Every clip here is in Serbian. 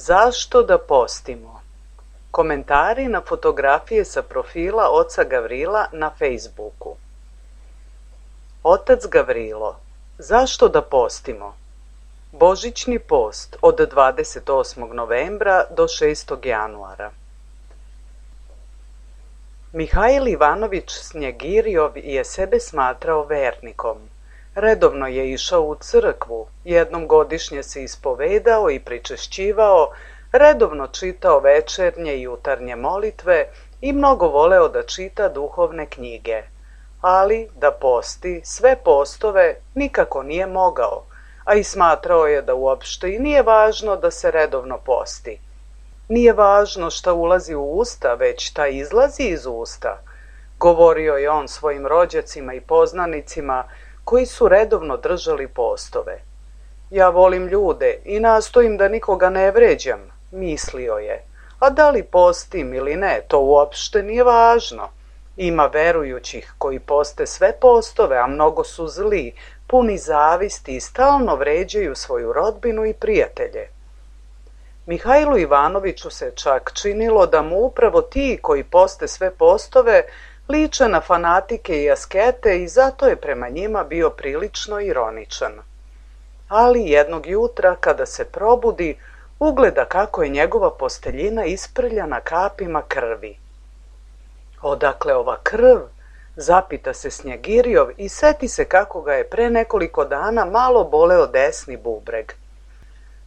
Zašto da postimo? Komentari na fotografije sa profila oca Gavrila na Facebooku. Otac Gavrilo, zašto da postimo? Božićni post od 28. novembra do 6. januara. Mihajl Ivanović Snjegirijov je sebe smatrao vernikom. Redovno je išao u crkvu, jednom godišnje se ispovedao i pričešćivao, redovno čitao večernje i jutarnje molitve i mnogo voleo da čita duhovne knjige. Ali da posti sve postove nikako nije mogao, a i smatrao je da uopšte i nije važno da se redovno posti. Nije važno šta ulazi u usta, već šta izlazi iz usta, govorio je on svojim rođacima i poznanicima koji su redovno držali postove. Ja volim ljude i nastojim da nikoga ne vređam, mislio je, a da li postim ili ne, to uopšte nije važno. Ima verujućih koji poste sve postove, a mnogo su zli, puni zavisti i stalno vređaju svoju rodbinu i prijatelje. Mihajlu Ivanoviću se čak činilo da mu upravo ti koji poste sve postove liče na fanatike i askete i zato je prema njima bio prilično ironičan. Ali jednog jutra, kada se probudi, ugleda kako je njegova posteljina isprljana kapima krvi. Odakle ova krv? Zapita se Snjegirijov i seti se kako ga je pre nekoliko dana malo boleo desni bubreg.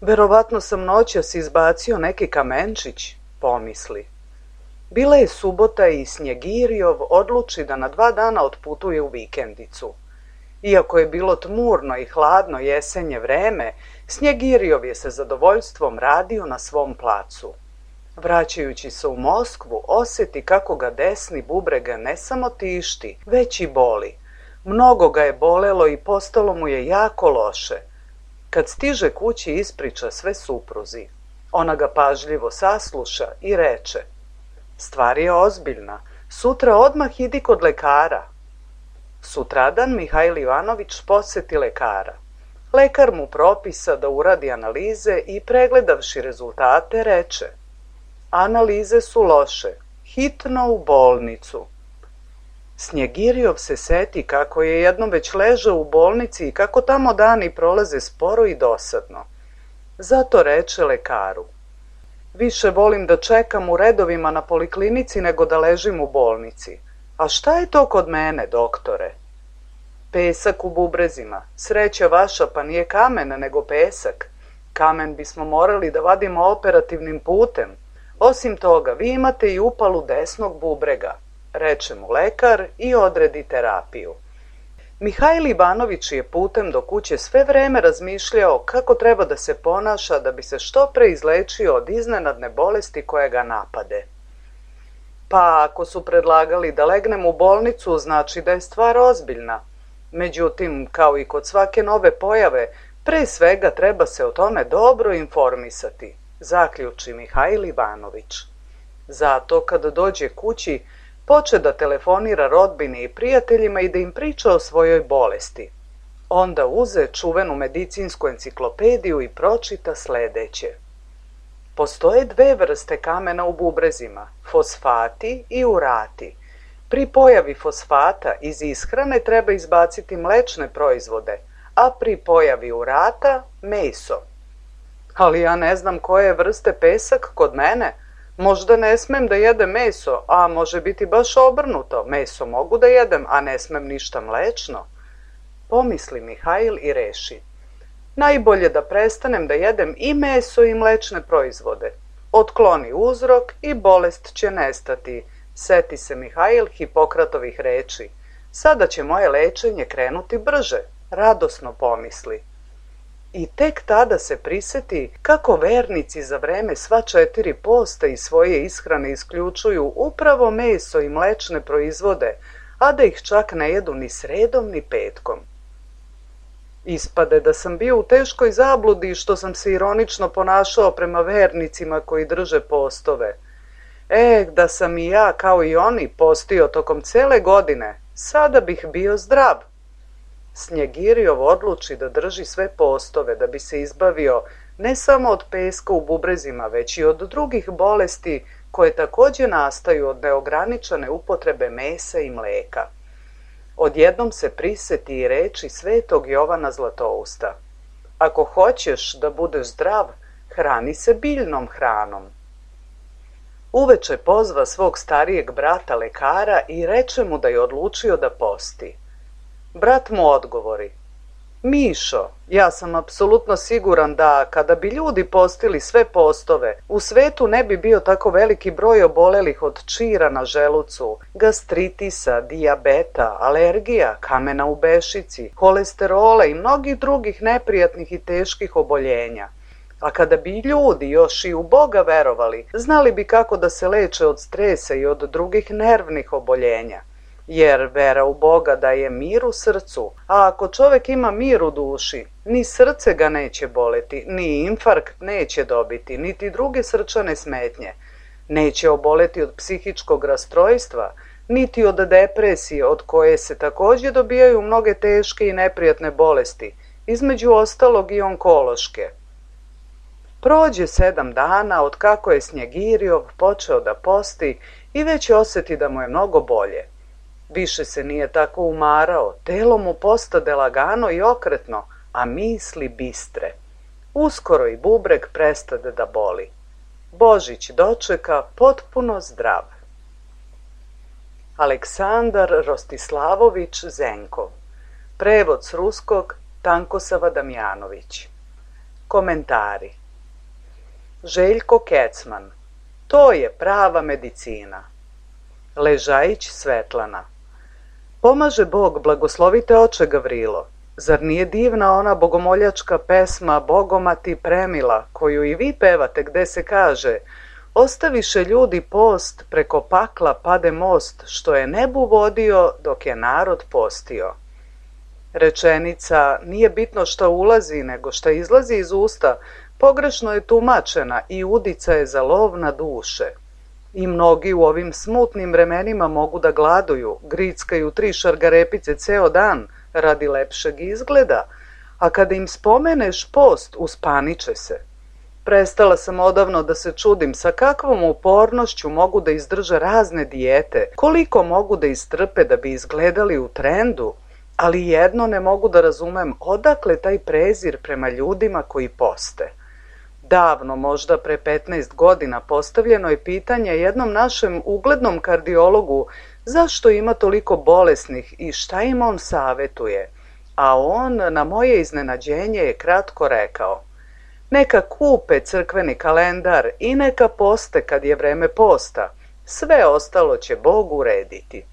Verovatno sam noćas izbacio neki kamenčić, pomisli. Bila je subota i Snjegirijov odluči da na 2 dana otputuje u vikendicu. Iako je bilo tmurno i hladno jesenje vreme, Snjegirijov je sa zadovoljstvom radio na svom placu. Vraćajući se u Moskvu, osjeti kako ga desni bubreg ne samo tišti, već i boli. Mnogo ga je bolelo i postalo mu je jako loše. Kad stiže kući, ispriča sve supruzi. Ona ga pažljivo sasluša i reče: stvar je ozbiljna, sutra odmah idi kod lekara. Sutradan Mihajl Ivanović poseti lekara. Lekar mu propisa da uradi analize i pregledavši rezultate reče: analize su loše, hitno u bolnicu. Snjegirijov se seti kako je jednom već ležao u bolnici i kako tamo dani prolaze sporo i dosadno. Zato reče lekaru: više volim da čekam u redovima na poliklinici nego da ležim u bolnici. A šta je to kod mene, doktore? Pesak u bubrezima. Sreća vaša, pa nije kamen, nego pesak. Kamen bismo morali da vadimo operativnim putem. Osim toga, vi imate i upalu desnog bubrega, reče mu lekar i odredi terapiju. Mihajl Ivanović je putem do kuće sve vreme razmišljao kako treba da se ponaša da bi se što pre izlečio od iznenadne bolesti koje ga napade. Pa ako su predlagali da legnem u bolnicu, znači da je stvar ozbiljna. Međutim, kao i kod svake nove pojave, pre svega treba se o tome dobro informisati, zaključi Mihajl Ivanović. Zato kada dođe kući, poče da telefonira rodbini i prijateljima i da im priča o svojoj bolesti. Onda uze čuvenu medicinsku enciklopediju i pročita sledeće. Postoje dve vrste kamena u bubrezima, fosfati i urati. Pri pojavi fosfata iz ishrane treba izbaciti mlečne proizvode, a pri pojavi urata meso. Ali ja ne znam koje vrste pesak kod mene. Možda ne smem da jedem meso, a može biti baš obrnuto. Meso mogu da jedem, a ne smem ništa mlečno. Pomisli Mihajl i reši: najbolje da prestanem da jedem i meso i mlečne proizvode. Otkloni uzrok i bolest će nestati. Seti se Mihajl Hipokratovih reči. Sada će moje lečenje krenuti brže, radosno pomisli. I tek tada se priseti kako vernici za vreme sva 4 posta iz svoje ishrane isključuju upravo meso i mlečne proizvode, a da ih čak ne jedu ni sredom ni petkom. Ispade da sam bio u teškoj zabludi što sam se ironično ponašao prema vernicima koji drže postove. Da sam i ja, kao i oni, postio tokom cele godine, sada bih bio zdrav. Snjegirjov odluči da drži sve postove da bi se izbavio ne samo od peska u bubrezima, već i od drugih bolesti koje takođe nastaju od neograničene upotrebe mesa i mleka. Odjednom se priseti i reči svetog Jovana Zlatousta: ako hoćeš da budeš zdrav, hrani se biljnom hranom. Uveče pozva svog starijeg brata lekara i reče mu da je odlučio da posti. Brat mu odgovori: Mišo, ja sam apsolutno siguran da kada bi ljudi postili sve postove, u svetu ne bi bio tako veliki broj obolelih od čira na želucu, gastritisa, dijabeta, alergija, kamena u bešici, holesterola i mnogih drugih neprijatnih i teških oboljenja. A kada bi ljudi još i u Boga verovali, znali bi kako da se leče od stresa i od drugih nervnih oboljenja. Jer vera u Boga daje mir u srcu, a ako čovek ima mir u duši, ni srce ga neće boleti, ni infarkt neće dobiti, niti druge srčane smetnje. Neće oboleti od psihičkog rastrojstva, niti od depresije, od koje se takođe dobijaju mnoge teške i neprijatne bolesti, između ostalog i onkološke. Prođe 7 dana od kako je Snjegirjov počeo da posti i već oseti da mu je mnogo bolje. Više se nije tako umarao, telo mu postade lagano i okretno, a misli bistre. Uskoro i bubreg prestade da boli. Božić dočeka potpuno zdrav. Aleksandar Rostislavović Zenkov. Prevod s ruskog Tankosava Damjanović. Komentari. Željko Kecman. To je prava medicina. Ležajić Svetlana. Pomaže Bog, blagoslovite oče Gavrilo. Zar nije divna ona bogomoljačka pesma Bogomati premila, koju i vi pevate, gde se kaže: ostaviše ljudi post, preko pakla pade most, što je nebu vodio dok je narod postio. Rečenica nije bitno šta ulazi, nego šta izlazi iz usta, pogrešno je tumačena i udica je za lov na duše. I mnogi u ovim smutnim vremenima mogu da gladuju, grickaju 3 šargarepice ceo dan radi lepšeg izgleda, a kada im spomeneš post, uspaniče se. Prestala sam odavno da se čudim sa kakvom upornošću mogu da izdrže razne dijete, koliko mogu da istrpe da bi izgledali u trendu, ali jedno ne mogu da razumem, odakle taj prezir prema ljudima koji poste. Davno, možda pre 15 godina, postavljeno je pitanje jednom našem uglednom kardiologu zašto ima toliko bolesnih i šta im on savetuje, a on na moje iznenađenje je kratko rekao: neka kupe crkveni kalendar i neka poste kad je vreme posta, sve ostalo će Bog urediti.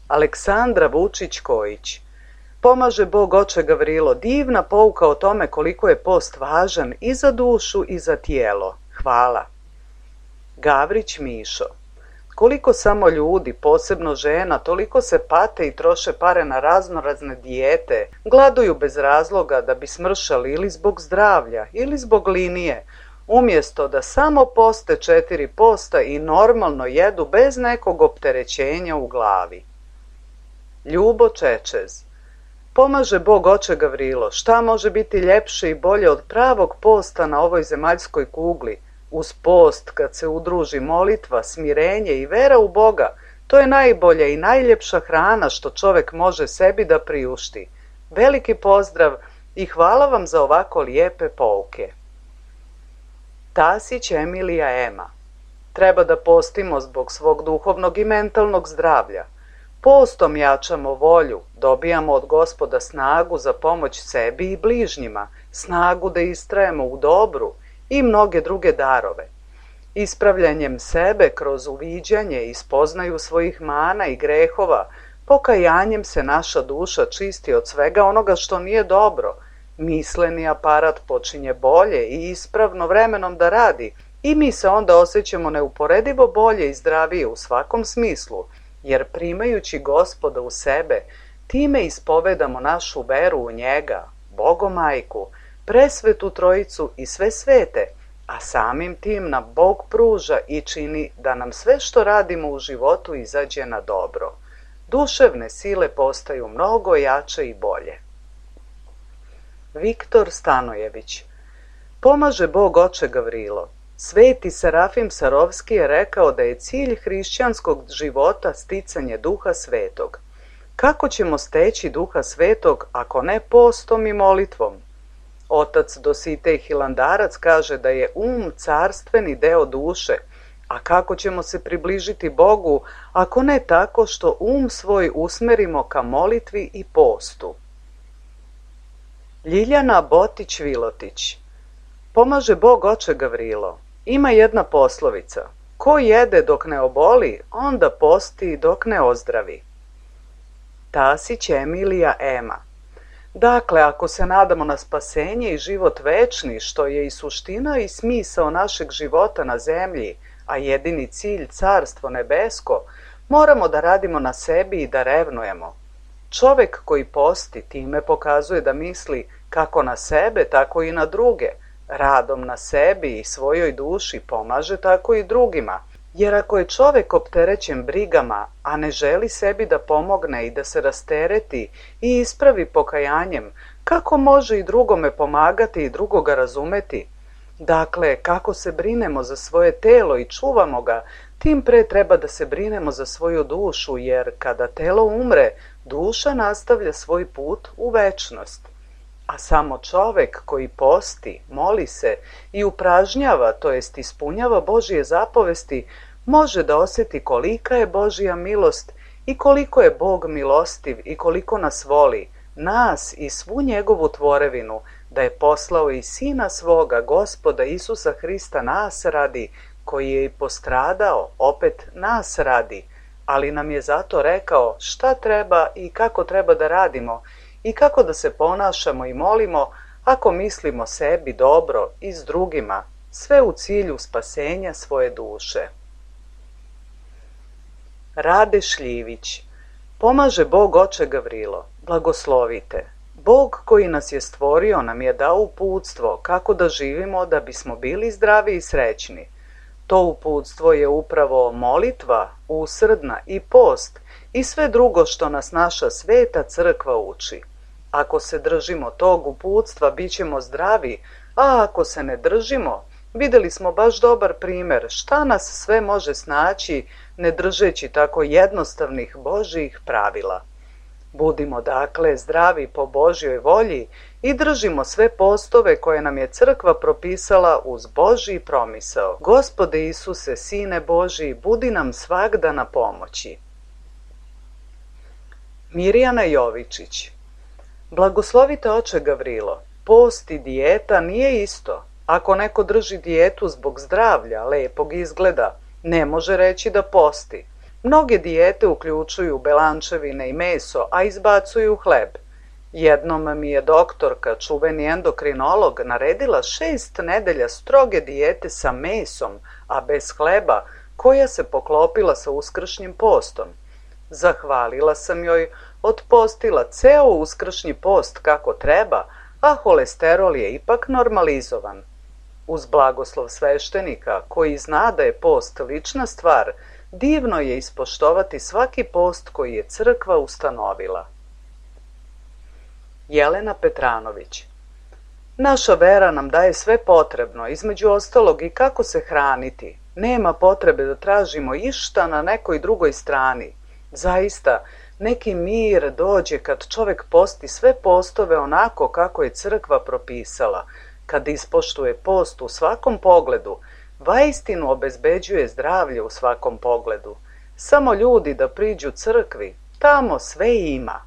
Aleksandra Vučić-Kojić. Pomaže Bog oče Gavrilo, divna pouka o tome koliko je post važan i za dušu i za tijelo. Hvala. Gavrić Mišo. Koliko samo ljudi, posebno žena, toliko se pate i troše pare na raznorazne dijete, gladuju bez razloga da bi smršali ili zbog zdravlja ili zbog linije, umjesto da samo poste 4 posta i normalno jedu bez nekog opterećenja u glavi. Ljubo Čečez. Pomaže Bog oče Gavrilo, šta može biti ljepše i bolje od pravog posta na ovoj zemaljskoj kugli? Uz post, kad se udruži molitva, smirenje i vera u Boga, to je najbolja i najljepša hrana što čovek može sebi da priušti. Veliki pozdrav i hvala vam za ovako lijepe pouke. Tasić Emilija Ema. Treba da postimo zbog svog duhovnog i mentalnog zdravlja. Postom jačamo volju, dobijamo od Gospoda snagu za pomoć sebi i bližnjima, snagu da istrajemo u dobru i mnoge druge darove. Ispravljanjem sebe kroz uviđanje i spoznaju svojih mana i grehova, pokajanjem se naša duša čisti od svega onoga što nije dobro, misleni aparat počinje bolje i ispravno vremenom da radi i mi se onda osjećamo neuporedivo bolje i zdravije u svakom smislu, jer primajući Gospoda u sebe, time ispovedamo našu veru u njega, Bogomajku, presvetu trojicu i sve svete, a samim tim nam Bog pruža i čini da nam sve što radimo u životu izađe na dobro. Duševne sile postaju mnogo jače i bolje. Viktor Stanojević. Pomaže Bog oče Gavrilo. Sveti Serafim Sarovski je rekao da je cilj hrišćanskog života sticanje Duha Svetog. Kako ćemo steći Duha Svetog ako ne postom i molitvom? Otac Dositej Hilandarac kaže da je carstveni deo duše, a kako ćemo se približiti Bogu ako ne tako što svoj usmerimo ka molitvi i postu? Ljiljana Botić-Vilotić. Pomaže Bog oče Gavrilo. Ima jedna poslovica: ko jede dok ne oboli, onda posti dok ne ozdravi. Tasić Emilija Ema. Dakle, ako se nadamo na spasenje i život večni, što je i suština i smisao našeg života na zemlji, a jedini cilj carstvo nebesko, moramo da radimo na sebi i da revnujemo. Čovek koji posti time pokazuje da misli kako na sebe, tako i na druge. Radom na sebi i svojoj duši pomaže tako i drugima, jer ako je čovek opterećen brigama, a ne želi sebi da pomogne i da se rastereti i ispravi pokajanjem, kako može i drugome pomagati i drugoga razumeti? Dakle, kako se brinemo za svoje telo i čuvamo ga, tim pre treba da se brinemo za svoju dušu, jer kada telo umre, duša nastavlja svoj put u večnost. A samo čovek koji posti, moli se i upražnjava, to jest ispunjava Božije zapovesti, može da osjeti kolika je Božja milost i koliko je Bog milostiv i koliko nas voli, nas i svu njegovu tvorevinu, da je poslao i Sina svoga, Gospoda Isusa Hrista, nas radi, koji je i postradao, opet nas radi, ali nam je zato rekao šta treba i kako treba da radimo i kako da se ponašamo i molimo ako mislimo sebi dobro i s drugima, sve u cilju spasenja svoje duše. Rade Šljivić. Pomaže Bog oče Gavrilo. Blagoslovite. Bog koji nas je stvorio nam je dao uputstvo kako da živimo da bismo bili zdravi i srećni. To uputstvo je upravo molitva, usrdna i post i sve drugo što nas naša sveta crkva uči. Ako se držimo tog uputstva, bit ćemo zdravi, a ako se ne držimo, vidjeli smo baš dobar primer šta nas sve može snaći ne držeći tako jednostavnih Božjih pravila. Budimo dakle zdravi po Božjoj volji i držimo sve postove koje nam je crkva propisala uz Božji promisao. Gospode Isuse, Sine Božji, budi nam svagda na pomoći. Mirjana Jovičić. Blagoslovite oče Gavrilo, post i dijeta nije isto. Ako neko drži dijetu zbog zdravlja, lepog izgleda, ne može reći da posti. Mnoge dijete uključuju belančevine i meso, a izbacuju hleb. Jednom mi je doktorka, čuveni endokrinolog, naredila 6 nedelja stroge dijete sa mesom, a bez hleba, koja se poklopila sa uskršnjim postom. Zahvalila sam joj, otpostila ceo uskršnji post kako treba, a holesterol je ipak normalizovan. Uz blagoslov sveštenika, koji zna da je post lična stvar, divno je ispoštovati svaki post koji je crkva ustanovila. Jelena Petranović. Naša vera nam daje sve potrebno, između ostalog i kako se hraniti. Nema potrebe da tražimo išta na nekoj drugoj strani. Zaista, neki mir dođe kad čovek posti sve postove onako kako je crkva propisala. Kad ispoštuje post u svakom pogledu, vaistinu obezbeđuje zdravlje u svakom pogledu. Samo ljudi da priđu crkvi, tamo sve ima.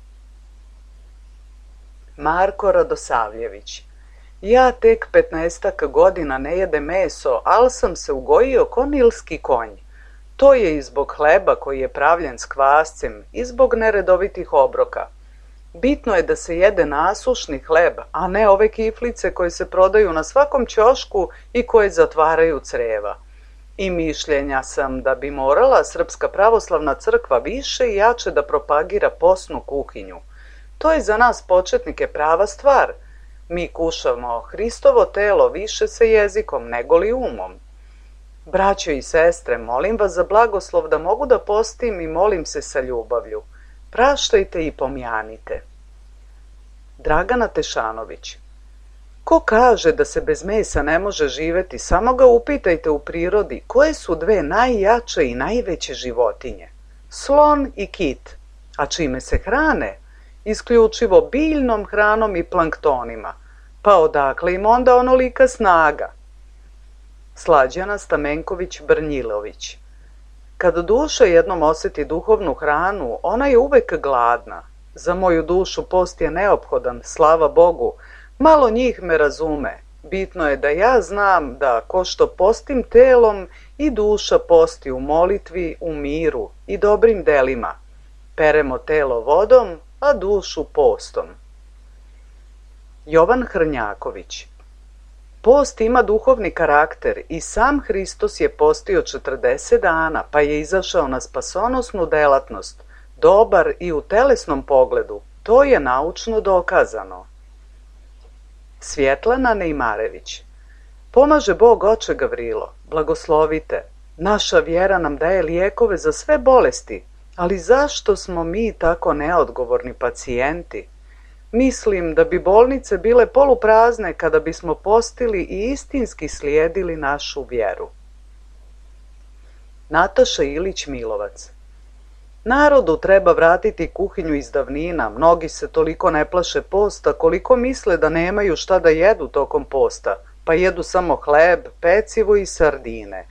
Marko Radosavljević. Ja tek 15 godina ne jedem meso, ali sam se ugojio ko nilski konj. To je i zbog hleba koji je pravljen s kvascem i zbog neredovitih obroka. Bitno je da se jede nasušni hleb, a ne ove kiflice koje se prodaju na svakom ćošku i koje zatvaraju creva. I mišljenja sam da bi morala Srpska pravoslavna crkva više i jače da propagira posnu kuhinju. To je za nas početnike prava stvar. Mi kušamo Hristovo telo više sa jezikom nego li umom. Braćo i sestre, molim vas za blagoslov da mogu da postim i molim se sa ljubavlju. Praštajte i pomjanite. Dragana Tešanović. Ko kaže da se bez mesa ne može živeti, samo ga upitajte u prirodi koje su dve najjače i najveće životinje. Slon i kit. A čime se hrane? Isključivo biljnom hranom i planktonima. Pa odakle im onda onolika snaga? Slađana Stamenković-Brnjilović. Kad duša jednom osjeti duhovnu hranu, ona je uvek gladna. Za moju dušu post je neophodan, slava Bogu. Malo njih me razume. Bitno je da ja znam da ko što postim telom i duša posti u molitvi, u miru i dobrim delima. Peremo telo vodom, a dušu postom. Jovan Hrnjaković. Post ima duhovni karakter i sam Hristos je postio 40 dana, pa je izašao na spasonosnu delatnost, dobar i u telesnom pogledu. To je naučno dokazano. Svjetlana Nejmarević. Pomaže Bog oče Gavrilo, blagoslovite. Naša vjera nam daje lijekove za sve bolesti, ali zašto smo mi tako neodgovorni pacijenti? Mislim da bi bolnice bile poluprazne kada bismo postili i istinski slijedili našu vjeru. Nataša Ilić-Milovac. Narodu treba vratiti kuhinju iz davnina, mnogi se toliko ne plaše posta koliko misle da nemaju šta da jedu tokom posta, pa jedu samo hleb, pecivo i sardine.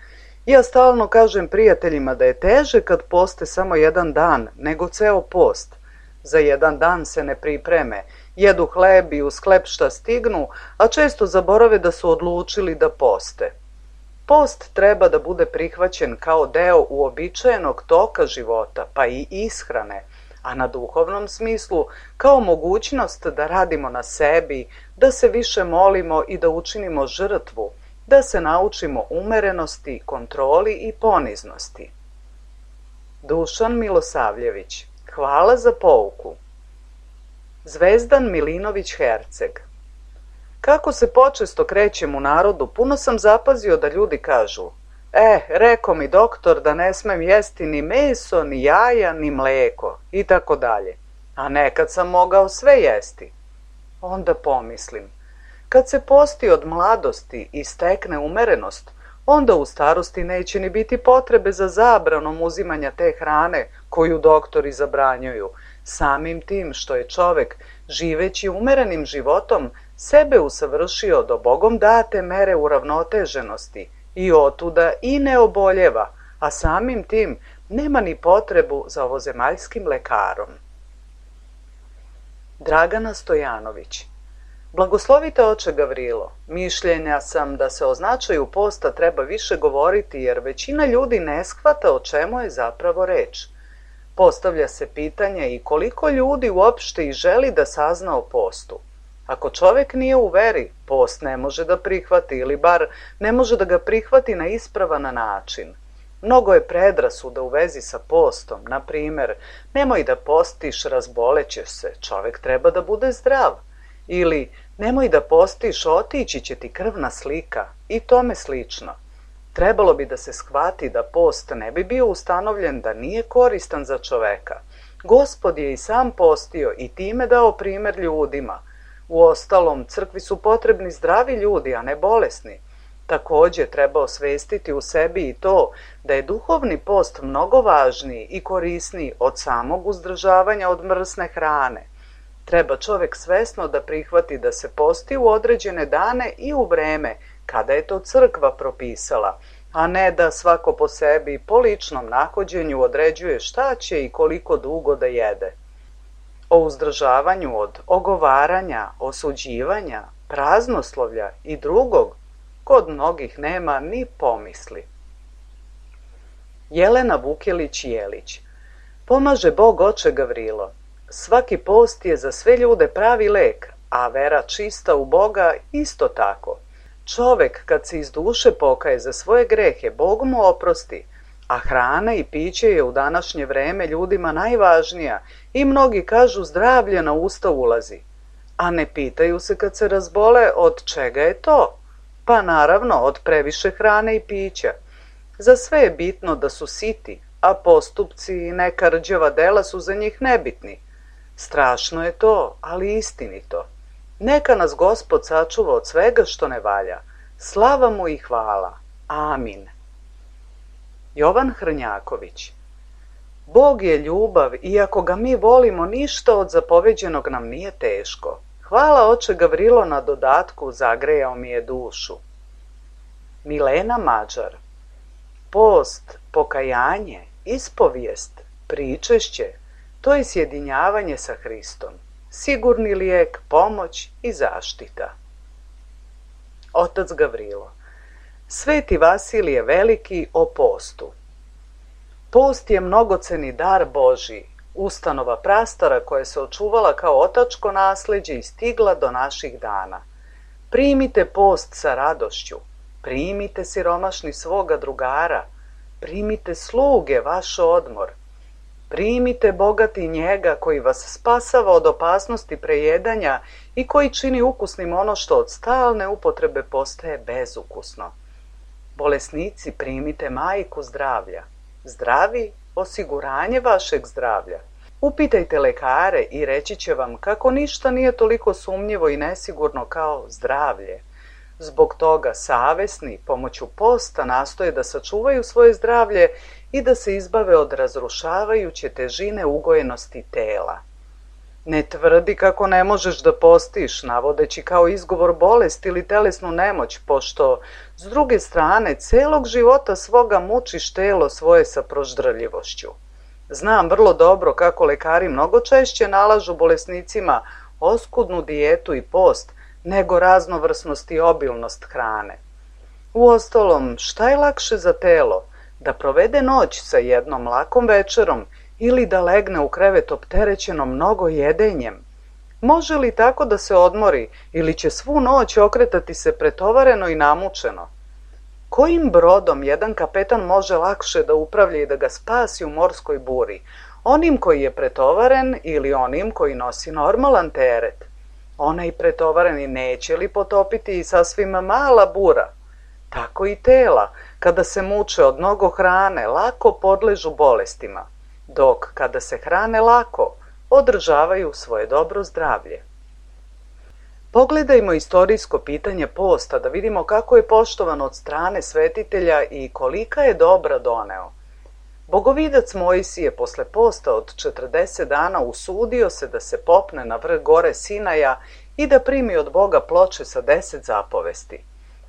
Ja stalno kažem prijateljima da je teže kad poste samo jedan dan nego ceo post. Za jedan dan se ne pripreme, jedu hleb i uz hleb šta stignu, a često zaborave da su odlučili da poste. Post treba da bude prihvaćen kao deo uobičajenog toka života, pa i ishrane, a na duhovnom smislu kao mogućnost da radimo na sebi, da se više molimo i da učinimo žrtvu, da se naučimo umerenosti, kontroli i poniznosti. Dušan Milosavljević. Hvala za pouku. Zvezdan Milinović-Herceg. Kako se počesto krećem u narodu, puno sam zapazio da ljudi kažu: rekao mi doktor da ne smem jesti ni meso, ni jaja, ni mleko, i tako dalje. A nekad sam mogao sve jesti. Onda pomislim, kad se posti od mladosti i stekne umerenost, onda u starosti neće ni biti potrebe za zabranom uzimanja te hrane koju doktori zabranjuju. Samim tim što je čovek, živeći umerenim životom, sebe usavršio do Bogom date mere uravnoteženosti i otuda i ne oboljeva, a samim tim nema ni potrebu za ovozemaljskim lekarom. Dragana Stojanović. Blagoslovite oče Gavrilo, mišljenja sam da se o značaju posta treba više govoriti jer većina ljudi ne shvata o čemu je zapravo reč. Postavlja se pitanje i koliko ljudi uopšte i želi da sazna o postu. Ako čovek nije u veri, post ne može da prihvati ili bar ne može da ga prihvati na ispravan način. Mnogo je predrasuda u vezi sa postom, na primer, nemoj da postiš, razbolećeš se, čovek treba da bude zdrav. Ili, nemoj da postiš, otići će ti krvna slika i tome slično. Trebalo bi da se shvati da post ne bi bio ustanovljen da nije koristan za čoveka. Gospod je i sam postio i time dao primer ljudima. Uostalom, crkvi su potrebni zdravi ljudi, a ne bolesni. Takođe, treba osvestiti u sebi i to da je duhovni post mnogo važniji i korisniji od samog uzdržavanja od mrsne hrane. Treba čovek svesno da prihvati da se posti u određene dane i u vreme kada je to crkva propisala, a ne da svako po sebi po ličnom nahođenju određuje šta će i koliko dugo da jede. O uzdržavanju od ogovaranja, osuđivanja, praznoslovlja i drugog kod mnogih nema ni pomisli. Jelena Vukelić-Jelić. Pomaže Bog oče Gavrilo. Svaki post je za sve ljude pravi lek, a vera čista u Boga isto tako. Čovek kad se iz duše pokaje za svoje grehe, Bog mu oprosti, a hrana i piće je u današnje vreme ljudima najvažnija i mnogi kažu zdravlje na usta ulazi. A ne pitaju se kad se razbole od čega je to? Pa naravno od previše hrane i pića. Za sve je bitno da su siti, a postupci i neka rđava dela su za njih nebitni. Strašno je to, ali istinito. Neka nas Gospod sačuva od svega što ne valja. Slava mu i hvala. Amin. Jovan Hrnjaković. Bog je ljubav i ako ga mi volimo, ništa od zapoveđenog nam nije teško. Hvala oče Gavrilo na dodatku, zagrejao mi je dušu. Milena Mađar. Post, pokajanje, ispovijest, pričešće, to je sjedinjavanje sa Hristom, sigurni lijek, pomoć i zaštita. Otac Gavrilo. Sveti Vasilije Veliki o postu. Post je mnogoceni dar Božji, ustanova prastara koja se očuvala kao otačko nasleđe i stigla do naših dana. Primite post sa radošću, primite siromašni svoga drugara, primite sluge vaš odmor, primite bogati njega koji vas spasava od opasnosti prejedanja i koji čini ukusnim ono što od stalne upotrebe postaje bezukusno. Bolesnici, primite majku zdravlja. Zdravi, osiguranje vašeg zdravlja. Upitajte lekare i reći će vam kako ništa nije toliko sumnjivo i nesigurno kao zdravlje. Zbog toga savesni pomoću posta nastoje da sačuvaju svoje zdravlje i da se izbave od razrušavajuće težine ugojenosti tela. Ne tvrdi kako ne možeš da postiš, navodeći kao izgovor bolest ili telesnu nemoć, pošto, s druge strane, celog života svoga mučiš telo svoje sa proždrljivošću. Znam vrlo dobro kako lekari mnogo češće nalažu bolesnicima oskudnu dijetu i post, nego raznovrsnost i obilnost hrane. Uostalom, šta je lakše za telo? Da provede noć sa jednom lakom večerom ili da legne u krevet opterećeno mnogo jedenjem? Može li tako da se odmori ili će svu noć okretati se pretovareno i namučeno? Kojim brodom jedan kapetan može lakše da upravlja i da ga spasi u morskoj buri? Onim koji je pretovaren ili onim koji nosi normalan teret? Onaj pretovareni neće li potopiti i sasvim mala bura? Tako i tela, kada se muče od mnogo hrane, lako podležu bolestima, dok kada se hrane lako, održavaju svoje dobro zdravlje. Pogledajmo istorijsko pitanje posta da vidimo kako je poštovan od strane svetitelja i kolika je dobra doneo. Bogovidac Mojsije posle posta od 40 dana usudio se da se popne na vrh gore Sinaja i da primi od Boga ploče sa 10 zapovesti.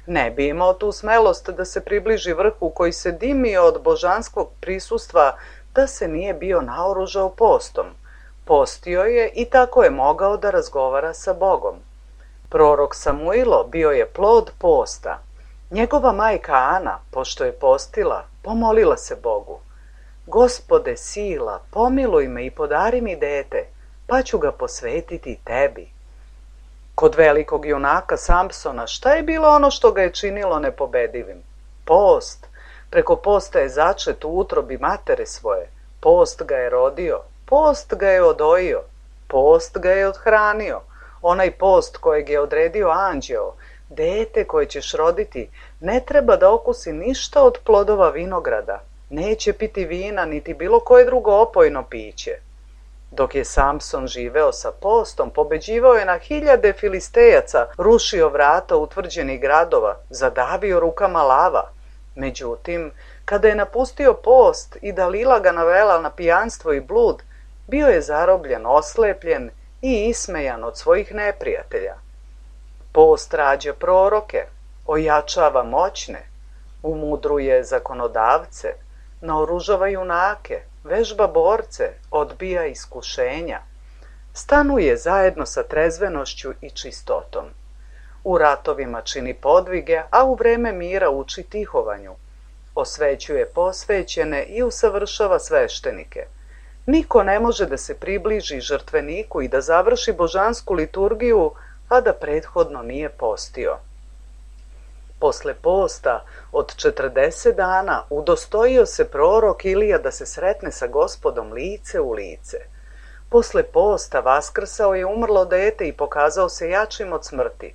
Ne bi imao tu smelost da se približi vrhu koji se dimio od božanskog prisustva da se nije bio naoružao postom. Postio je i tako je mogao da razgovara sa Bogom. Prorok Samuilo bio je plod posta. Njegova majka Ana, pošto je postila, pomolila se Bogu: Gospode sila, pomiluj me i podari mi dete, pa ću ga posvetiti tebi. Kod velikog junaka Samsona šta je bilo ono što ga je činilo nepobedivim? Post. Preko posta je začet u utrobi matere svoje. Post ga je rodio, post ga je odojio, post ga je othranio. Onaj post kojeg je odredio anđeo, dete koje ćeš roditi, ne treba da okusi ništa od plodova vinograda, neće piti vina niti bilo koje drugo opojno piće. Dok je Samson živeo sa postom, pobeđivao je na hiljade Filistejaca, rušio vrata utvrđenih gradova, zadavio rukama lava. Međutim, kada je napustio post i Dalila ga navela na pijanstvo i blud, bio je zarobljen, oslepljen i ismejan od svojih neprijatelja. Post rađa proroke, ojačava moćne, umudruje zakonodavce, naoružava junake, vežba borce, odbija iskušenja. Stanuje zajedno sa trezvenošću i čistotom. U ratovima čini podvige, a u vreme mira uči tihovanju. Osvećuje posvećene i usavršava sveštenike. Niko ne može da se približi žrtveniku i da završi božansku liturgiju, a da prethodno nije postio. Posle posta od 40 dana udostojio se prorok Ilija da se sretne sa Gospodom lice u lice. Posle posta vaskrsao je umrlo dete i pokazao se jačim od smrti.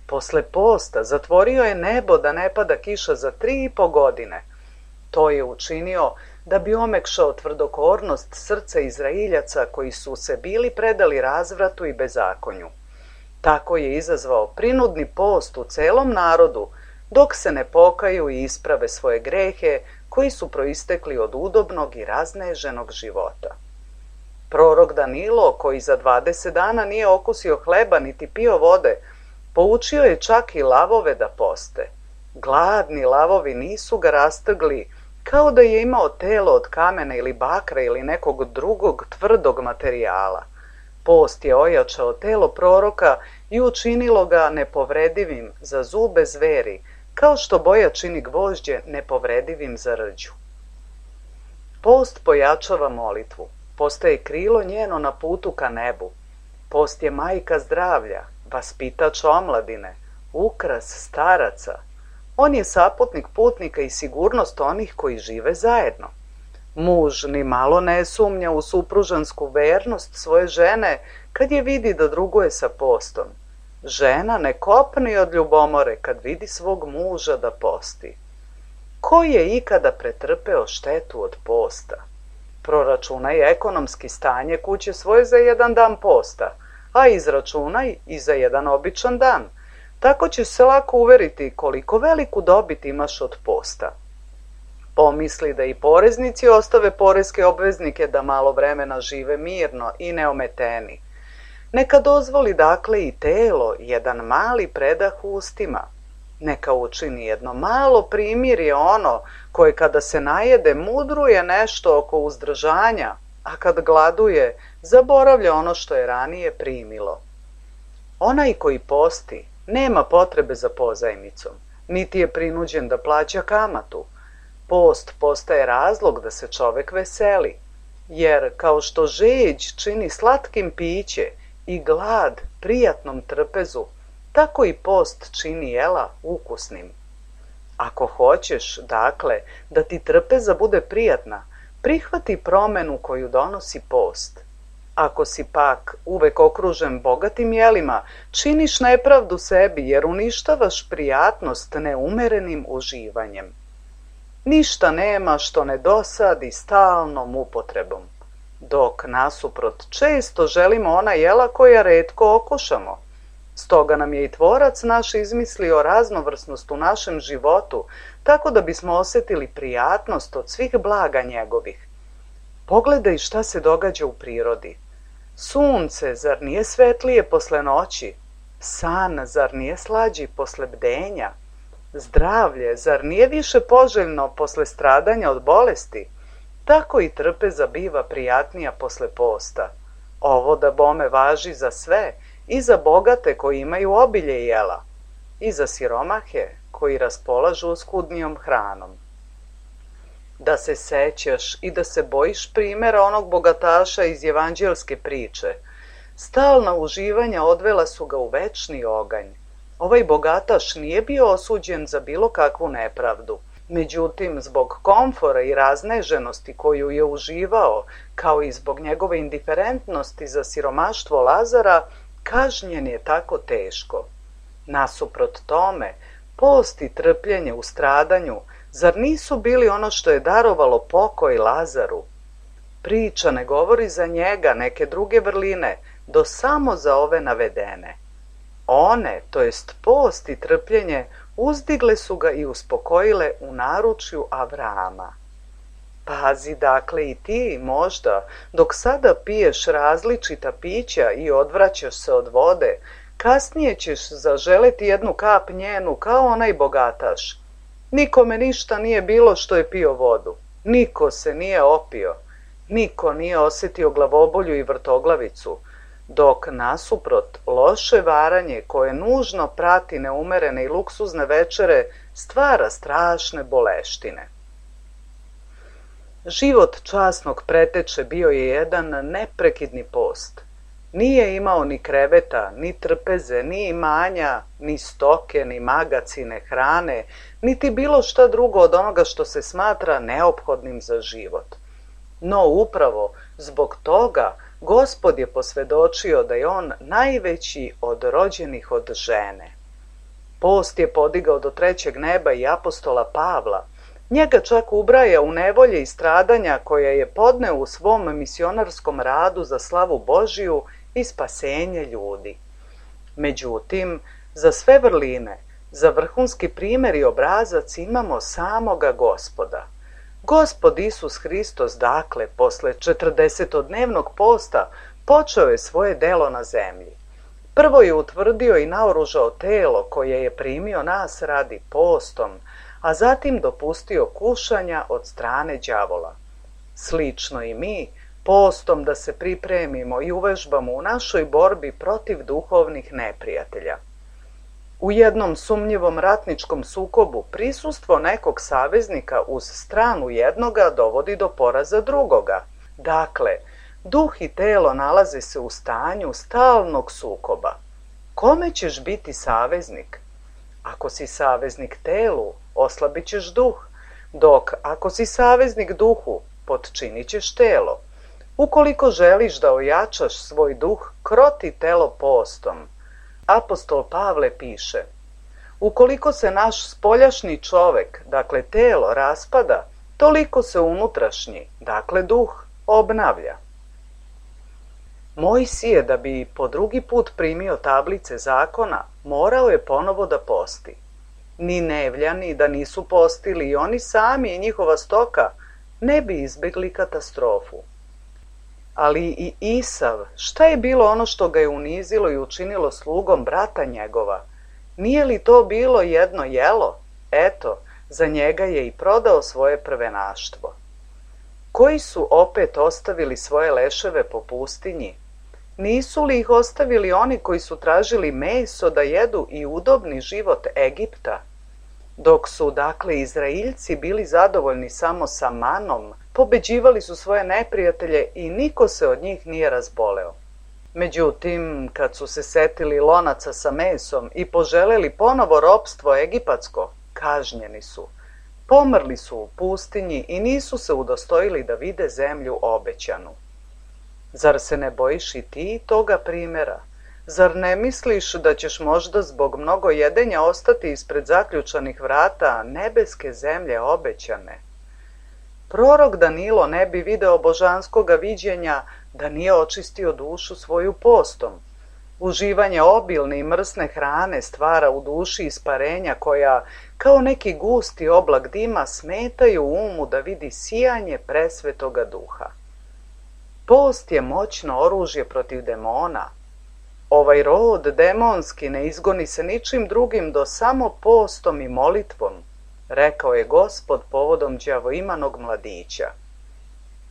Posle posta zatvorio je nebo da ne pada kiša za 3,5 godine. To je učinio da bi omekšao tvrdokornost srca Izrailjaca koji su se bili predali razvratu i bezakonju. Tako je izazvao prinudni post u celom narodu, dok se ne pokaju i isprave svoje grehe koji su proistekli od udobnog i razneženog života. Prorok Danilo, koji za 20 dana nije okusio hleba niti pio vode, poučio je čak i lavove da poste. Gladni lavovi nisu ga rastrgli, kao da je imao telo od kamena ili bakra ili nekog drugog tvrdog materijala. Post je ojačao telo proroka i učinilo ga nepovredivim za zube zveri, kao što boja čini gvožđe nepovredivim za rđu. Post pojačava molitvu, postaje krilo njeno na putu ka nebu. Post je majka zdravlja, vaspitač omladine, ukras staraca. On je saputnik putnika i sigurnost onih koji žive zajedno. Muž ni malo ne sumnja u supružansku vernost svoje žene kad je vidi da druguje sa postom. Žena ne kopni od ljubomore kad vidi svog muža da posti. Ko je ikada pretrpeo štetu od posta? Proračunaj ekonomski stanje kuće svoje za 1 dan posta, a izračunaj i za 1 običan dan. Tako ćeš se lako uveriti koliko veliku dobit imaš od posta. Pomisli da i poreznici ostave poreske obveznike da malo vremena žive mirno i neometeni. Neka dozvoli dakle i telo jedan mali predah ustima. Neka učini jedno malo primirje ono koje kada se najede mudruje nešto oko uzdržanja, a kad gladuje zaboravlja ono što je ranije primilo. Onaj koji posti nema potrebe za pozajmicom, niti je prinuđen da plaća kamatu. Post postaje razlog da se čovek veseli, jer kao što žeđ čini slatkim piće i glad prijatnom trpezu, tako i post čini jela ukusnim. Ako hoćeš, dakle, da ti trpeza bude prijatna, prihvati promenu koju donosi post. Ako si pak uvek okružen bogatim jelima, činiš nepravdu sebi jer uništavaš prijatnost neumerenim uživanjem. Ništa nema što ne dosadi stalnom upotrebom, dok nasuprot često želimo ona jela koja retko okušamo. Stoga nam je i Tvorac naš izmislio raznovrsnost u našem životu, tako da bismo osjetili prijatnost od svih blaga njegovih. Pogledaj šta se događa u prirodi. Sunce, zar nije svetlije posle noći? San, zar nije slađi posle bdenja? Zdravlje, zar nije više poželjno posle stradanja od bolesti? Tako i trpeza biva prijatnija posle posta. Ovo da bome važi za sve, i za bogate koji imaju obilje jela, i za siromahe koji raspolažu oskudnijom hranom. Da se sećaš i da se bojiš primjera onog bogataša iz evanđelske priče. Stalna uživanja odvela su ga u večni oganj. Ovaj bogataš nije bio osuđen za bilo kakvu nepravdu. Međutim, zbog komfora i razneženosti koju je uživao, kao i zbog njegove indiferentnosti za siromaštvo Lazara, kažnjen je tako teško. Nasuprot tome, post i trpljenje u stradanju, zar nisu bili ono što je darovalo pokoj Lazaru? Priča ne govori za njega neke druge vrline, do samo za ove navedene. One, to jest post i trpljenje, uzdigle su ga i uspokojile u naručju Avrama. Pazi dakle i ti možda, dok sada piješ različita pića i odvraćaš se od vode, kasnije ćeš zaželeti jednu kap njenu kao onaj bogataš. Nikome ništa nije bilo što je pio vodu, niko se nije opio, niko nije osjetio glavobolju i vrtoglavicu, dok nasuprot loše varanje koje nužno prati neumerene i luksuzne večere stvara strašne boleštine. Život časnog preteče bio je jedan neprekidni post. Nije imao ni kreveta, ni trpeze, ni imanja, ni stoke, ni magacine, hrane, niti bilo šta drugo od onoga što se smatra neophodnim za život. No upravo zbog toga Gospod je posvedočio da je on najveći od rođenih od žene. Post je podigao do trećeg neba i apostola Pavla. Njega čak ubraja u nevolje i stradanja koje je podneo u svom misionarskom radu za slavu Božiju i spasenje ljudi. Međutim, za sve vrline, za vrhunski primjer i obrazac imamo samoga Gospoda. Gospod Isus Hristos, dakle, posle 40-dnevnog posta, počeo je svoje delo na zemlji. Prvo je utvrdio i naoružao telo koje je primio nas radi postom, a zatim dopustio kušanja od strane đavola. Slično i mi, postom da se pripremimo i uvežbamo u našoj borbi protiv duhovnih neprijatelja. U jednom sumnjivom ratničkom sukobu prisustvo nekog saveznika uz stranu jednoga dovodi do poraza drugoga. Dakle, duh i telo nalaze se u stanju stalnog sukoba. Kome ćeš biti saveznik? Ako si saveznik telu, oslabit ćeš duh, dok ako si saveznik duhu, potčinit ćeš telo. Ukoliko želiš da ojačaš svoj duh, kroti telo postom. Apostol Pavle piše: ukoliko se naš spoljašnji čovek, dakle telo, raspada, toliko se unutrašnji, dakle duh, obnavlja. Mojsije, da bi po drugi put primio tablice zakona, morao je ponovo da posti. Ni Nevljani da nisu postili i oni sami i njihova stoka ne bi izbjegli katastrofu. Ali i Isav, šta je bilo ono što ga je unizilo i učinilo slugom brata njegova? Nije li to bilo jedno jelo? Eto, za njega je i prodao svoje prvenaštvo. Koji su opet ostavili svoje leševe po pustinji? Nisu li ih ostavili oni koji su tražili meso da jedu i udobni život Egipta? Dok su, dakle, Izraeljci bili zadovoljni samo sa manom, pobeđivali su svoje neprijatelje i niko se od njih nije razboleo. Međutim, kad su se setili lonaca sa mesom i poželeli ponovo ropstvo egipatsko, kažnjeni su. Pomrli su u pustinji i nisu se udostojili da vide zemlju obećanu. Zar se ne bojiš i ti toga primjera? Zar ne misliš da ćeš možda zbog mnogo jedenja ostati ispred zaključanih vrata nebeske zemlje obećane? Prorok Danilo ne bi video božanskoga viđenja da nije očistio dušu svoju postom. Uživanje obilne i mrsne hrane stvara u duši isparenja koja, kao neki gusti oblak dima, smetaju umu da vidi sijanje presvetoga duha. Post je moćno oružje protiv demona. Ovaj rod demonski ne izgoni se ničim drugim do samo postom i molitvom, rekao je Gospod povodom đavoimanog mladića.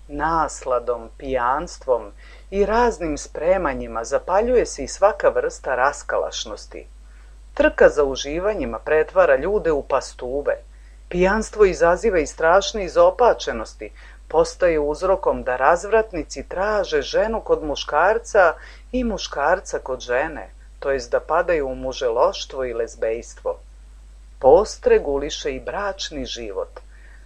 Nasladom, pijanstvom i raznim spremanjima zapaljuje se i svaka vrsta raskalašnosti. Trka za uživanjima pretvara ljude u pastuve. Pijanstvo izaziva i strašne izopačenosti, postaje uzrokom da razvratnici traže ženu kod muškarca i muškarca kod žene, to jest da padaju u muželoštvo i lezbejstvo. Post reguliše i bračni život,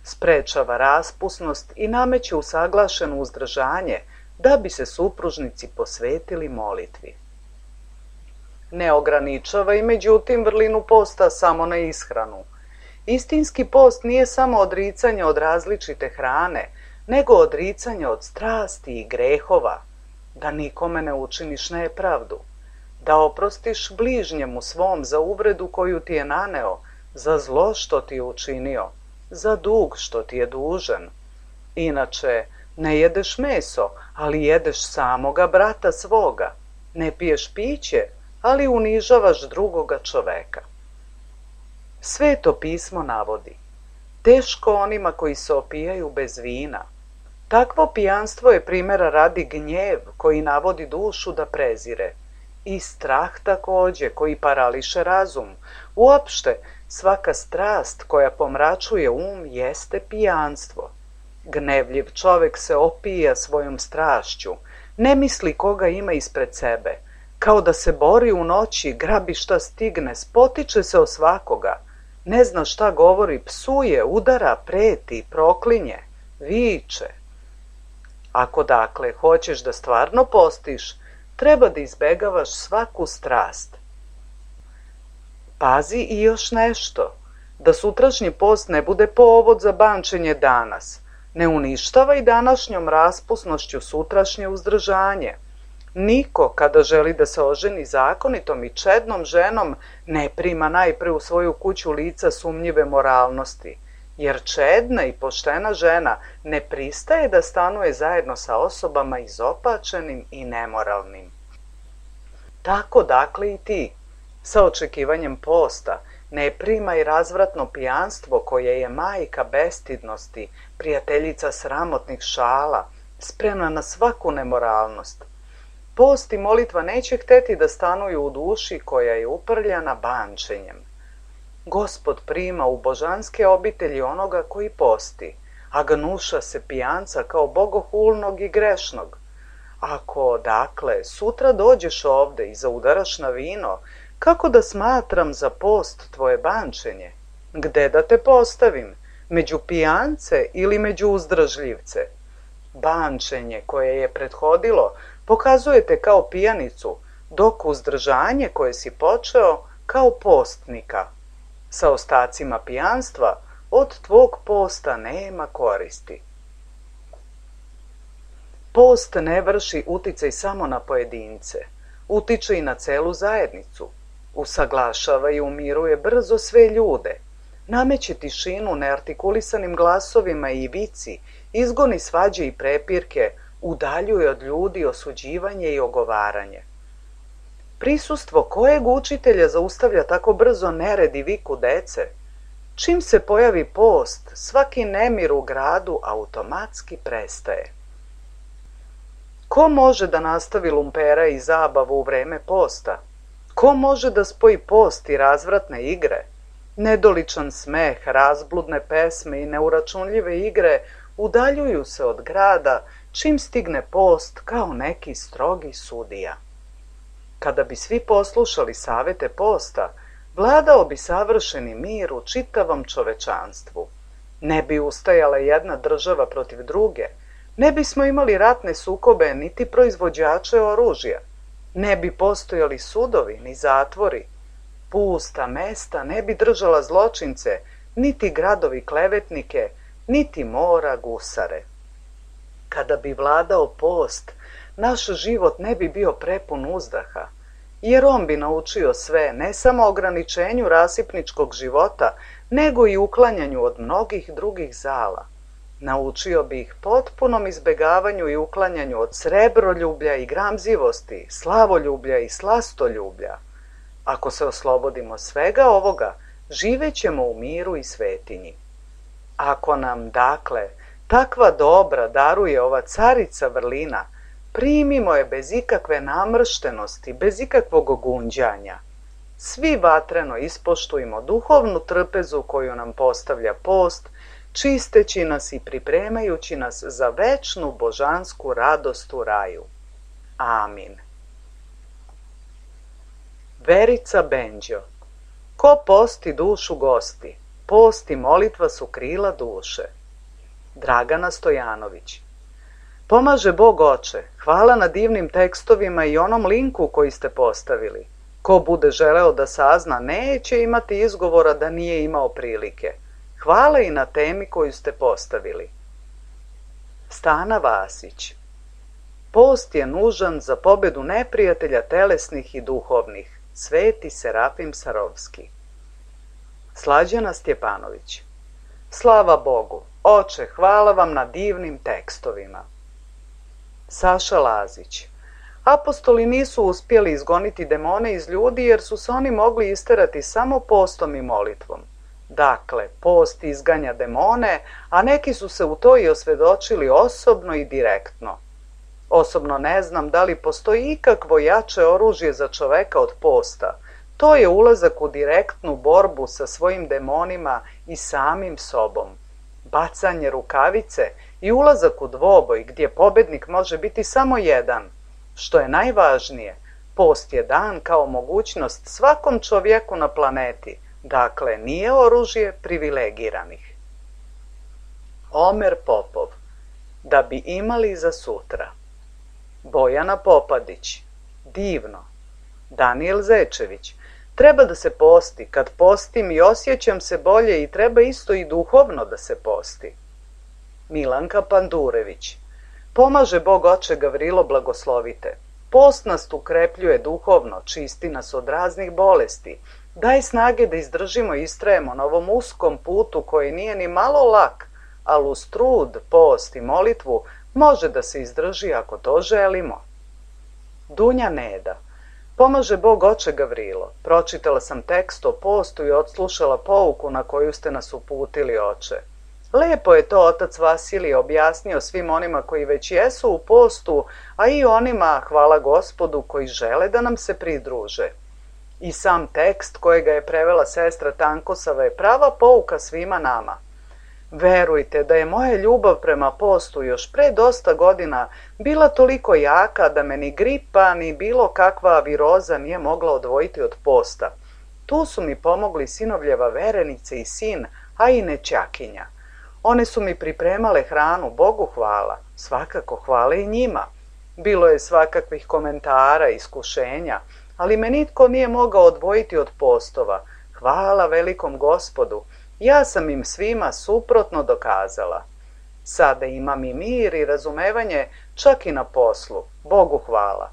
sprečava raspusnost i nameće usaglašeno uzdržanje da bi se supružnici posvetili molitvi. Ne ograničava i međutim vrlinu posta samo na ishranu. Istinski post nije samo odricanje od različite hrane, nego odricanje od strasti i grehova, da nikome ne učiniš nepravdu, da oprostiš bližnjemu svom za uvredu koju ti je naneo, za zlo što ti je učinio, za dug što ti je dužan. Inače, ne jedeš meso, ali jedeš samoga brata svoga. Ne piješ piće, ali unižavaš drugoga čoveka. Sveto pismo navodi: teško onima koji se opijaju bez vina. Takvo pijanstvo je primjera radi gnjev koji navodi dušu da prezire. I strah takođe koji parališe razum. Uopšte, svaka strast koja pomračuje jeste pijanstvo. Gnevljiv čovek se opija svojom strašću, ne misli koga ima ispred sebe, kao da se bori u noći, grabi šta stigne, spotiče se o svakoga, ne zna šta govori, psuje, udara, preti, proklinje, viče. Ako dakle hoćeš da stvarno postiš, treba da izbegavaš svaku strast. Pazi i još nešto, da sutrašnji post ne bude povod za bančenje danas. Ne uništavaj današnjom raspusnošću sutrašnje uzdržanje. Niko, kada želi da se oženi zakonitom i čednom ženom, ne prima najpre u svoju kuću lica sumnjive moralnosti, jer čedna i poštena žena ne pristaje da stanuje zajedno sa osobama izopačenim i nemoralnim. Tako dakle i ti, sa očekivanjem posta, ne primaj razvratno pijanstvo koje je majka bestidnosti, prijateljica sramotnih šala, spremna na svaku nemoralnost. Post i molitva neće hteti da stanuju u duši koja je uprljana bančenjem. Gospod prima u božanske obitelji onoga koji posti, a gnuša se pijanca kao bogohulnog i grešnog. Ako, dakle, sutra dođeš ovde i zaudaraš na vino, kako da smatram za post tvoje bančenje? Gde da te postavim? Među pijance ili među uzdržljivce? Bančenje koje je prethodilo pokazuje te kao pijanicu, dok uzdržanje koje si počeo kao postnika. Sa ostacima pijanstva od tvog posta nema koristi. Post ne vrši uticaj samo na pojedince, utiče i na celu zajednicu. Usaglašava i umiruje brzo sve ljude, nameće tišinu neartikulisanim glasovima i vici, izgoni svađe i prepirke, udaljuje od ljudi osuđivanje i ogovaranje. Prisustvo kojeg učitelja zaustavlja tako brzo nered i viku dece? Čim se pojavi post, svaki nemir u gradu automatski prestaje. Ko može da nastavi lumpera i zabavu u vreme posta? Ko može da spoji post i razvratne igre? Nedoličan smeh, razbludne pesme i neuračunljive igre udaljuju se od grada čim stigne post kao neki strogi sudija. Kada bi svi poslušali savete posta, vladao bi savršeni mir u čitavom čovečanstvu. Ne bi ustajala jedna država protiv druge, ne bismo imali ratne sukobe niti proizvođače oružja, ne bi postojali sudovi ni zatvori, pusta mesta ne bi držala zločince, niti gradovi klevetnike, niti mora gusare. Kada bi vladao post, naš život ne bi bio prepun uzdaha, jer on bi naučio sve, ne samo ograničenju rasipničkog života, nego i uklanjanju od mnogih drugih zala. Naučio bi ih potpunom izbegavanju i uklanjanju od srebroljublja i gramzivosti, slavoljublja i slastoljublja. Ako se oslobodimo svega ovoga, živećemo u miru i svetinji. Ako nam, dakle, takva dobra daruje ova carica vrlina, primimo je bez ikakve namrštenosti, bez ikakvog gunđanja. Svi vatreno ispoštujmo duhovnu trpezu koju nam postavlja post, čisteći nas i pripremajući nas za večnu božansku radost u raju. Amin. Verica Benđo. Ko posti dušu gosti, post i molitva su krila duše. Dragana Stojanović. Pomaže Bog Oče, hvala na divnim tekstovima i onom linku koji ste postavili. Ko bude želeo da sazna, neće imati izgovora da nije imao prilike. Hvala i na temi koju ste postavili. Stana Vasić. Post je nužan za pobedu neprijatelja telesnih i duhovnih. Sveti Serafim Sarovski. Slađana Stjepanović. Slava Bogu, Oče, hvala vam na divnim tekstovima. Saša Lazić. Apostoli nisu uspjeli izgoniti demone iz ljudi jer su se oni mogli isterati samo postom i molitvom. Dakle, post izganja demone, a neki su se u to i osvjedočili osobno i direktno. Osobno ne znam da li postoji ikakvo jače oružje za čoveka od posta. To je ulazak u direktnu borbu sa svojim demonima i samim sobom. Bacanje rukavice i ulazak u dvoboj gdje pobednik može biti samo jedan. Što je najvažnije, post je dan kao mogućnost svakom čovjeku na planeti. Dakle, nije oružje privilegiranih. Omer Popov. Da bi imali za sutra. Bojana Popadić. Divno. Daniel Zečević. Treba da se posti. Kad postim i osjećam se bolje i treba isto i duhovno da se posti. Milanka Pandurević. Pomaže Bog Oče Gavrilo, blagoslovite. Post nas ukrepljuje duhovno, čisti nas od raznih bolesti. Daj snage da izdržimo i istrajemo na ovom uskom putu koji nije ni malo lak, ali uz trud, post i molitvu može da se izdrži ako to želimo. Dunja Neda. Pomaže Bog Oče Gavrilo. Pročitala sam tekst o postu i odslušala pouku na koju ste nas uputili, Oče. Lepo je to otac Vasilije objasnio svim onima koji već jesu u postu, a i onima, hvala Gospodu, koji žele da nam se pridruže. I sam tekst kojega je prevela sestra Tankosava je prava pouka svima nama. Verujte da je moja ljubav prema postu još pre dosta godina bila toliko jaka da me ni gripa ni bilo kakva viroza nije mogla odvojiti od posta. Tu su mi pomogli sinovljeva verenice i sin, a i nećakinja. One su mi pripremale hranu, Bogu hvala, svakako hvala i njima. Bilo je svakakvih komentara, iskušenja, ali me nitko nije mogao odvojiti od postova. Hvala velikom Gospodu, ja sam im svima suprotno dokazala. Sada imam i mir i razumevanje čak i na poslu, Bogu hvala.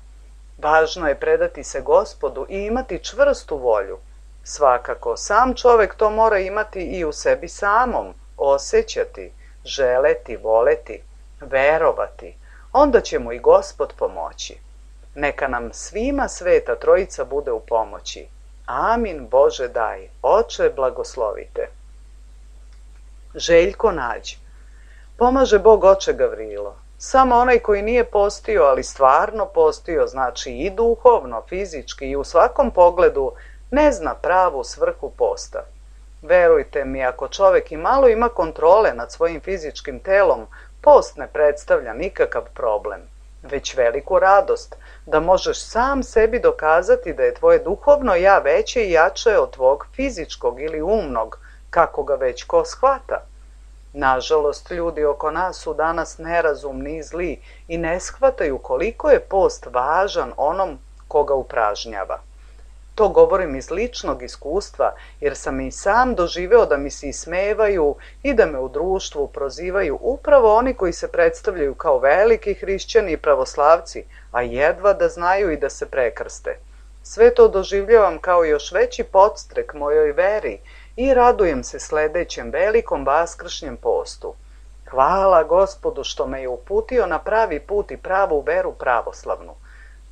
Važno je predati se Gospodu i imati čvrstu volju. Svakako, sam čovek to mora imati i u sebi samom, osjećati, želeti, voleti, verovati. Onda će mu i Gospod pomoći. Neka nam svima Sveta Trojica bude u pomoći. Amin, Bože daj, Oče blagoslovite. Željko Nađ. Pomaže Bog Oče Gavrilo. Samo onaj koji nije postio, ali stvarno postio, znači i duhovno, fizički i u svakom pogledu, ne zna pravu svrhu posta. Verujte mi, ako čovek i malo ima kontrole nad svojim fizičkim telom, post ne predstavlja nikakav problem, već veliku radost, da možeš sam sebi dokazati da je tvoje duhovno ja veće i jače od tvog fizičkog ili umnog, kako ga već ko shvata. Nažalost, ljudi oko nas su danas nerazumni i zli i ne shvataju koliko je post važan onom koga upražnjava. To govorim iz ličnog iskustva, jer sam i sam doživeo da mi se ismevaju i da me u društvu prozivaju upravo oni koji se predstavljaju kao veliki hrišćani i pravoslavci, a jedva da znaju i da se prekrste. Sve to doživljavam kao još veći podstrek mojoj veri i radujem se sledećem velikom vaskršnjem postu. Hvala Gospodu što me je uputio na pravi put i pravu veru pravoslavnu.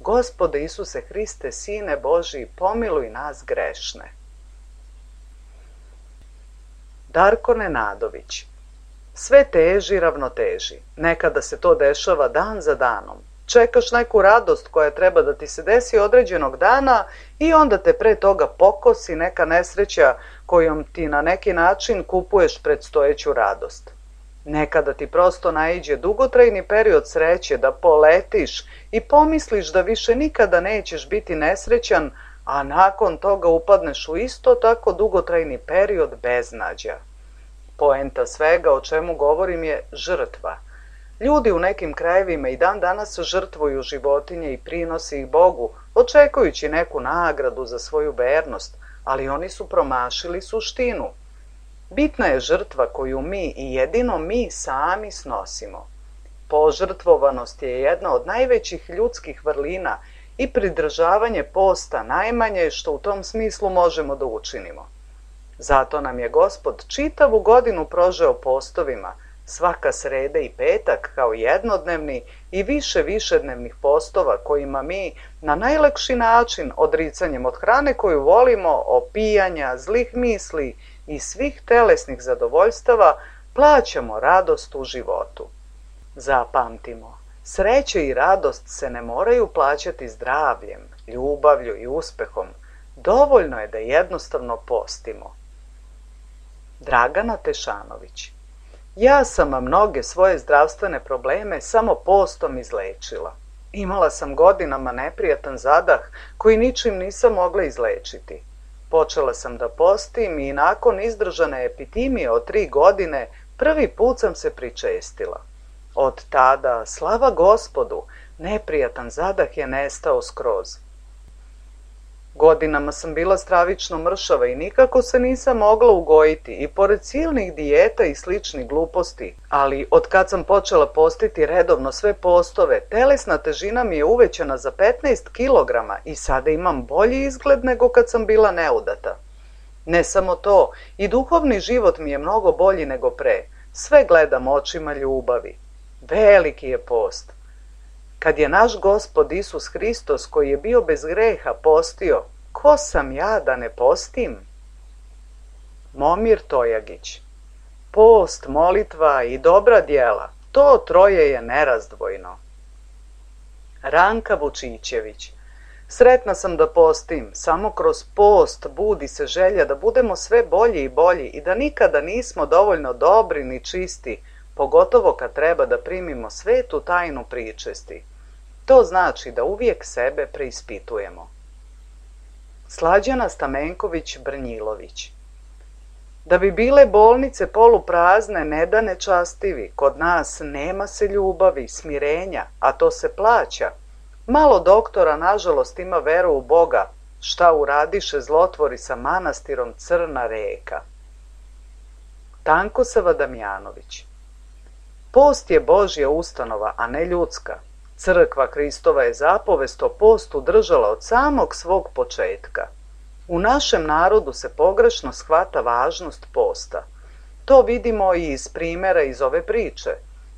Gospode Isuse Hriste, Sine Božiji, pomiluj nas grešne. Darko Nenadović. Sve teži ravnoteži. Nekada se to dešava dan za danom. Čekaš neku radost koja treba da ti se desi određenog dana i onda te pre toga pokosi neka nesreća kojom ti na neki način kupuješ predstojeću radost. Nekada ti prosto naiđe dugotrajni period sreće da poletiš i pomisliš da više nikada nećeš biti nesrećan, a nakon toga upadneš u isto tako dugotrajni period beznađa. Poenta svega o čemu govorim je žrtva. Ljudi u nekim krajevima i dan danas žrtvuju životinje i prinose ih Bogu, očekujući neku nagradu za svoju vernost, ali oni su promašili suštinu. Bitna je žrtva koju mi i jedino mi sami snosimo. Požrtvovanost je jedna od najvećih ljudskih vrlina i pridržavanje posta najmanje što u tom smislu možemo da učinimo. Zato nam je Gospod čitavu godinu prožeo postovima, svaka sreda i petak kao jednodnevni i više višednevnih postova kojima mi na najlakši način odricanjem od hrane koju volimo, opijanja, zlih misli i svih telesnih zadovoljstava plaćamo radost u životu. Zapamtimo, sreće i radost se ne moraju plaćati zdravljem, ljubavlju i uspehom. Dovoljno je da jednostavno postimo. Dragana Tešanović. Ja sam mnoge svoje zdravstvene probleme samo postom izlečila. Imala sam godinama neprijatan zadah koji ničim nisam mogla izlečiti. Počela sam da postim i nakon izdržane epitimije od 3 godine prvi put sam se pričestila. Od tada, slava Gospodu, neprijatan zadah je nestao skroz. Godinama sam bila stravično mršava i nikako se nisam mogla ugojiti i pored silnih dijeta i sličnih gluposti, ali od kad sam počela postiti redovno sve postove, telesna težina mi je uvećana za 15 kilograma i sada imam bolji izgled nego kad sam bila neudata. Ne samo to, i duhovni život mi je mnogo bolji nego pre. Sve gledam očima ljubavi. Veliki je post. Kad je naš Gospod Isus Hristos, koji je bio bez greha, postio, ko sam ja da ne postim? Momir Tojagić. Post, molitva i dobra djela, to troje je nerazdvojno. Ranka Vučićević. Sretna sam da postim, samo kroz post budi se želja da budemo sve bolji i bolji i da nikada nismo dovoljno dobri ni čisti, pogotovo kad treba da primimo svetu tajnu pričesti. To znači da uvijek sebe preispitujemo. Slađana Stamenković Brnjilović. Da bi bile bolnice poluprazne, ne da nečastivi, kod nas nema se ljubavi, smirenja, a to se plaća. Malo doktora, nažalost, ima veru u Boga, šta uradiše zlotvori sa manastirom Crna reka. Tankosava Damjanović. Post je Božja ustanova, a ne ljudska. Crkva Hristova je zapovest o postu držala od samog svog početka. U našem narodu se pogrešno shvata važnost posta. To vidimo i iz primjera iz ove priče.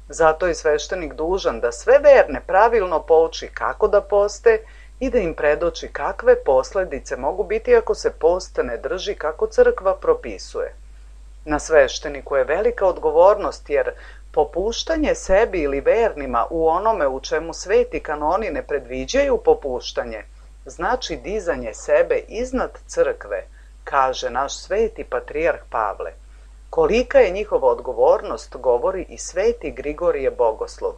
Zato je sveštenik dužan da sve verne pravilno pouči kako da poste i da im predoči kakve posledice mogu biti ako se post ne drži kako crkva propisuje. Na svešteniku je velika odgovornost jer popuštanje sebi ili vernima u onome u čemu sveti kanoni ne predviđaju popuštanje, znači dizanje sebe iznad crkve, kaže naš sveti patrijarh Pavle. Kolika je njihova odgovornost, govori i sveti Grigorije Bogoslov.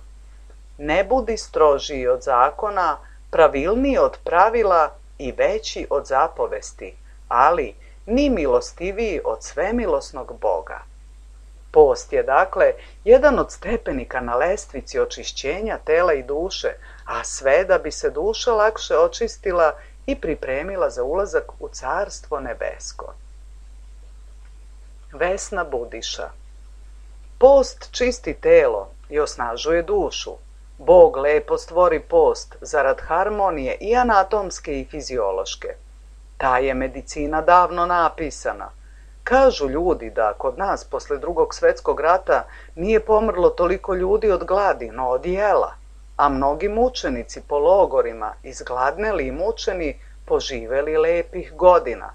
Ne budi strožiji od zakona, pravilniji od pravila i veći od zapovesti, ali ni milostiviji od svemilosnog Boga. Post je, dakle, jedan od stepenika na lestvici očišćenja tela i duše, a sve da bi se duša lakše očistila i pripremila za ulazak u Carstvo nebesko. Vesna Budiša. Post čisti telo i osnažuje dušu. Bog lepo stvori post zarad harmonije i anatomske i fiziološke. Ta je medicina davno napisana. Kažu ljudi da kod nas posle Drugog svjetskog rata nije pomrlo toliko ljudi od gladi, no od jela, a mnogi mučenici po logorima, izgladneli i mučeni, poživeli lepih godina.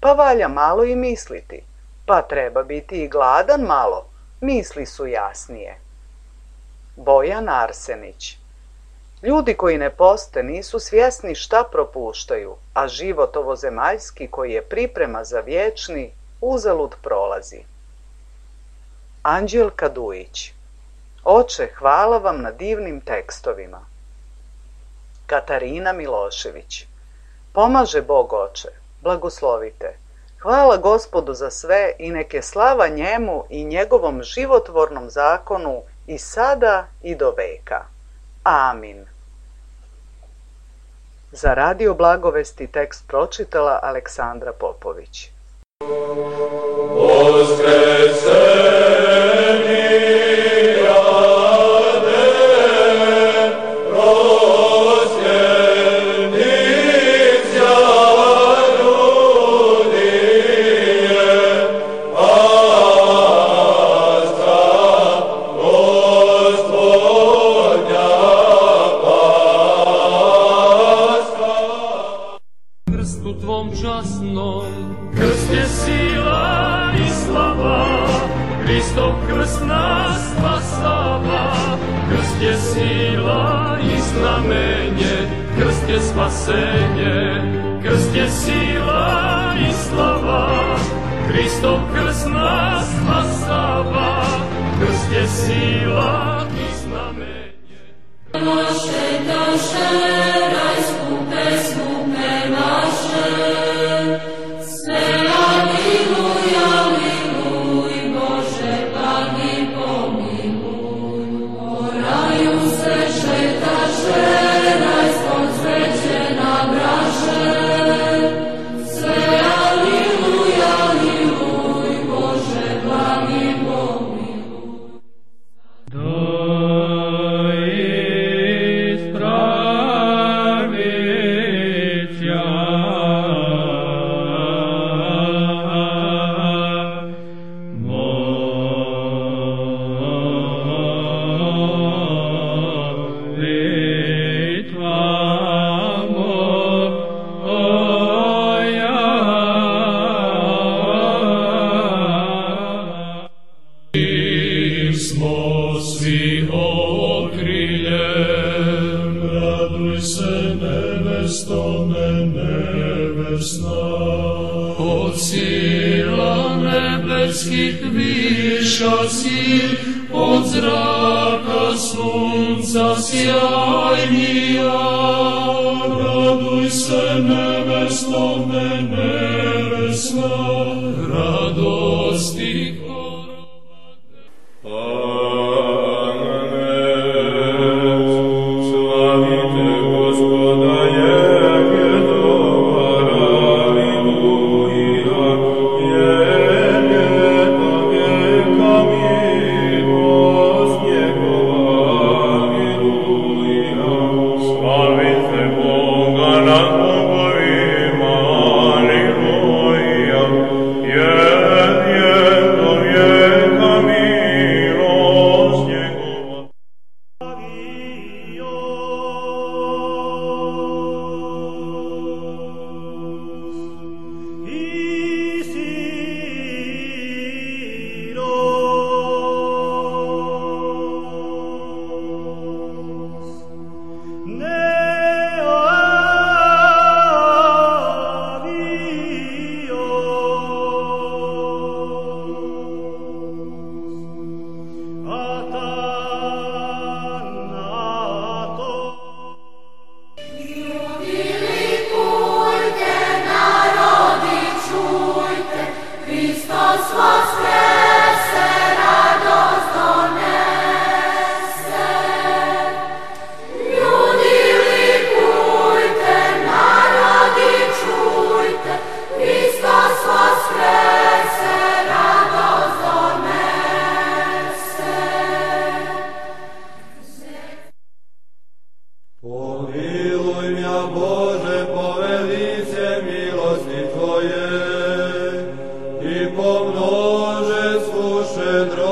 Pa valja malo i misliti, pa treba biti i gladan malo, misli su jasnije. Bojan Arsenić. Ljudi koji ne poste nisu svjesni šta propuštaju, a život ovozemaljski koji je priprema za vječni, uzalud prolazi. Anđelka Dujić. Oče, hvala vam na divnim tekstovima. Katarina Milošević. Pomaže Bog, Oče, blagoslovite. Hvala Gospodu za sve i neke slava njemu i njegovom životvornom zakonu i sada i do veka. Amin. Za Radio Blagovesti tekst pročitala Aleksandra Popović. Spasenje, krst je sila i slava, Hristov krst nas spasava, krst je sila i znamenje. Naše duše, najskupe smuke naše, sve aliluj, aliluj, Bože, blagi pomiluj, po raju se šetaše, od sila nebeskih viša si, od zraka sunca sjajnija. Raduj se nevestome nevesna, radosti Щедро